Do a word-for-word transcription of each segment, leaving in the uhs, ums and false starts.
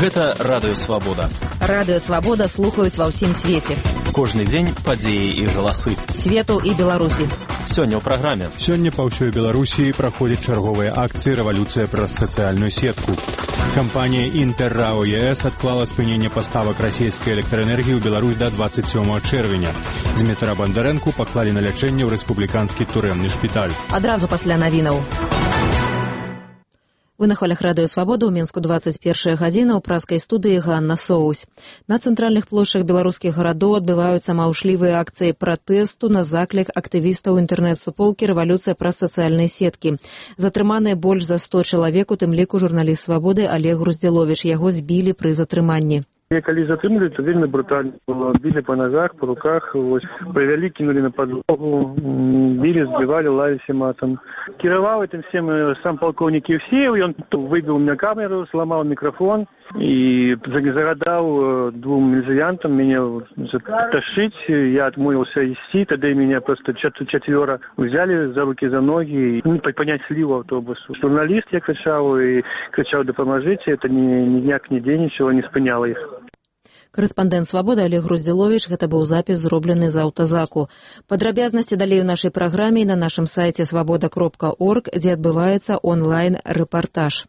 Гэта Радыё Свабода. Радыё Свабода слухаюць ва ўсім свеце. Кожны дзень падзеі і галасы. Свету і Беларусі. Сёння ў праграме. Сёння па ўсёй Беларусі праходзяць чарговыя акцыі «Рэвалюцыя праз сацыяльную сетку». Кампанія «Інтэррао ЕС» адклала спыненне паставак расійскай электраэнергіі ў Беларусь да дваццаць сёмага чэрвеня. Змітра Бандарэнку паклалі на лячэнне ў рэспубліканскі турэмны шпіталь. Адразу пасля навінаў. Вы на хвалях Радыё Свабода, ў Мінску дваццаць першая гадзіна, у праскай студыі Ганна Соусь. На цэнтральных плошчах беларускіх гарадоў адбываюцца маўшлівыя акцыі пратэсту на заклік актывістаў інтэрнэт-суполкі «Рэвалюцыя праз сацыяльныя сеткі». Затрыманыя больш за сто чалавек, у тым ліку журналіст Свабоды Олег Груздзіловіч. Яго збілі пры затрыманні. Я калі затрымалі, то вельмі брутальна было. Били по ногах, по руках, вось, привели, кинули на подлогу, били, сбивали, лаяли матом. Кировал этим всем сам полковник Евсеев, и он выбил у меня камеру, сломал микрофон и загадал двум милициантам меня тащить. Я отмылся идти, тогда меня просто четверо взяли за руки, за ноги, и понять слив автобусу. Журналист я кричал и кричал: «Допоможите», это ни, ни дняк, ни день, ничего не спыняло их. Карэспандэнт Свабоды Олег Груздзіловіч, гэта быў запіс, зроблены з аўтазаку. Падрабязнасці далей у нашай праграме і на нашым сайце свабода кропка орг, дзе адбываецца онлайн-рэпартаж.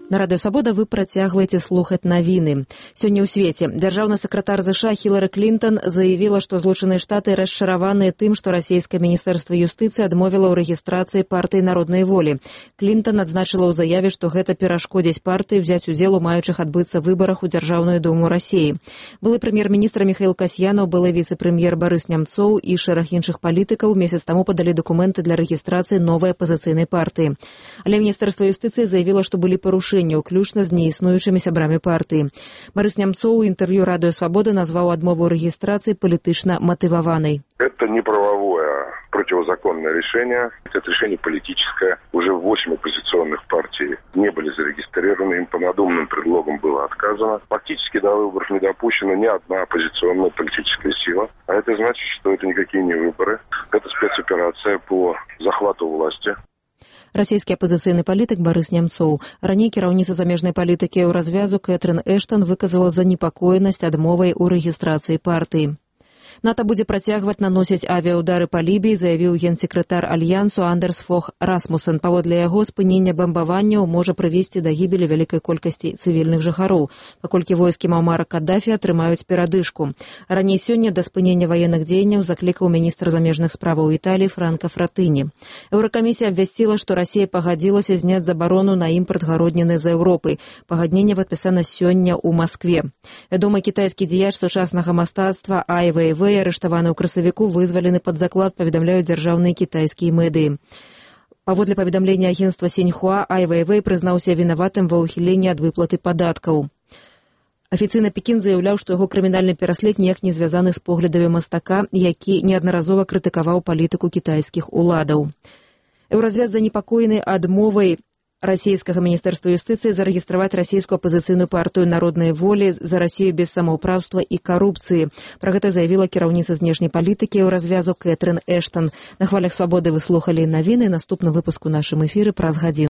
На Радыё Свабода вы працягваеце слухаць навіны. Сёння ў свеце дзяржаўны сакратар ЗША Хілары Клінтон заявіла, што Злучаныя Штаты расчараваныя тым, што расійскае міністэрства юстыцыі адмовіла ў рэгістрацыі партыі народнай волі. Клінтон адзначыла ў заяве, што гэта перашкодзіць партыі ўзяць удзел у маючых адбыцца выбарах у Дзяржаўную думу Расіі. Былы прэм'ер-міністр Міхаіл Касьянаў, былы віцэ-прэм'ер Барыс Нямцоў і шэраг іншых палітыкаў месяц таму падалі дакументы для рэгістрацыі новай апазіцыйнай партыі. Але міністэрства юстыцыі заявіла, што былі парушэнні, уключна з неіснуючымі сябрамі партыі. Барыс Нямцоў у інтэрв'ю Радыё Свабода назваў адмову рэгістрацыі палітычна матываванай. Это не правовое, противозаконное решение. Это решение политическое. Уже восемь оппозиционных партий не были зарегистрированы. Им по надуманным предлогам было отказано. Фактически до выборов не допущена ни одна оппозиционная политическая сила. А это значит, что это никакие не выборы. Это спецоперация по захвату власти. Расійскі апазіцыйны палітык Барыс Нямцоў. Раней кіраўніца замежнай палітыкі ў развязу Кэтрын Эштан выказала занепакоенасць адмовай у рэгістрацыі партыі. НАТО будзе працягваць наносіць авіаудары па Лібіі, заявіў генсекретар Альянсу Андерс Фог Расмуссен. Паводле яго, спыненне бамбаванняў можа прывесці да гібелі вялікай колькасці цывільных жыхароў, паколькі войскі Муамара Каддафі атрымаюць перадышку. Раней сёння да спынення ваенных дзеянняў заклікаў міністр замежных справаў Італіі Франка Фратыні. Еўракамісія абвясціла, што Расія пагадзілася зняць забарону на імпарт гародніны з Еўропы. Пагадненне падпісана сёння ў Маскве. Вядомы кітайскі дзеяч сучаснага мастацтва Ай Вэйвэй, арыштаваны ў красавіку, вызвалены пад заклад, паведамляюць дзяржаўныя кітайскія медыі. Паводле паведамлення агенцтва Сіньхуа, Ай Вэйвэй прызнаўся вінаватым ва ўхіленні ад выплаты падаткаў. Афіцыйна Пекін заяўляў, што яго крымінальны пераслед ніяк не звязаны з поглядамі мастака, які неаднаразова крытыкаваў палітыку кітайскіх уладаў. Еўразвяз занепакоены адмовай расійскага міністэрства юстыцыі зарэгістраваць расійскую апазіцыйную партыю народнай волі за Расію без самаўпраўства і карупцыі. Пра гэта заявіла кіраўніца знешняй палітыкі ў развязу Кэтрын Эштан. На хвалях Свабоды вы слухалі навіны. Наступны выпуск у нашым эфіры праз гадзіну.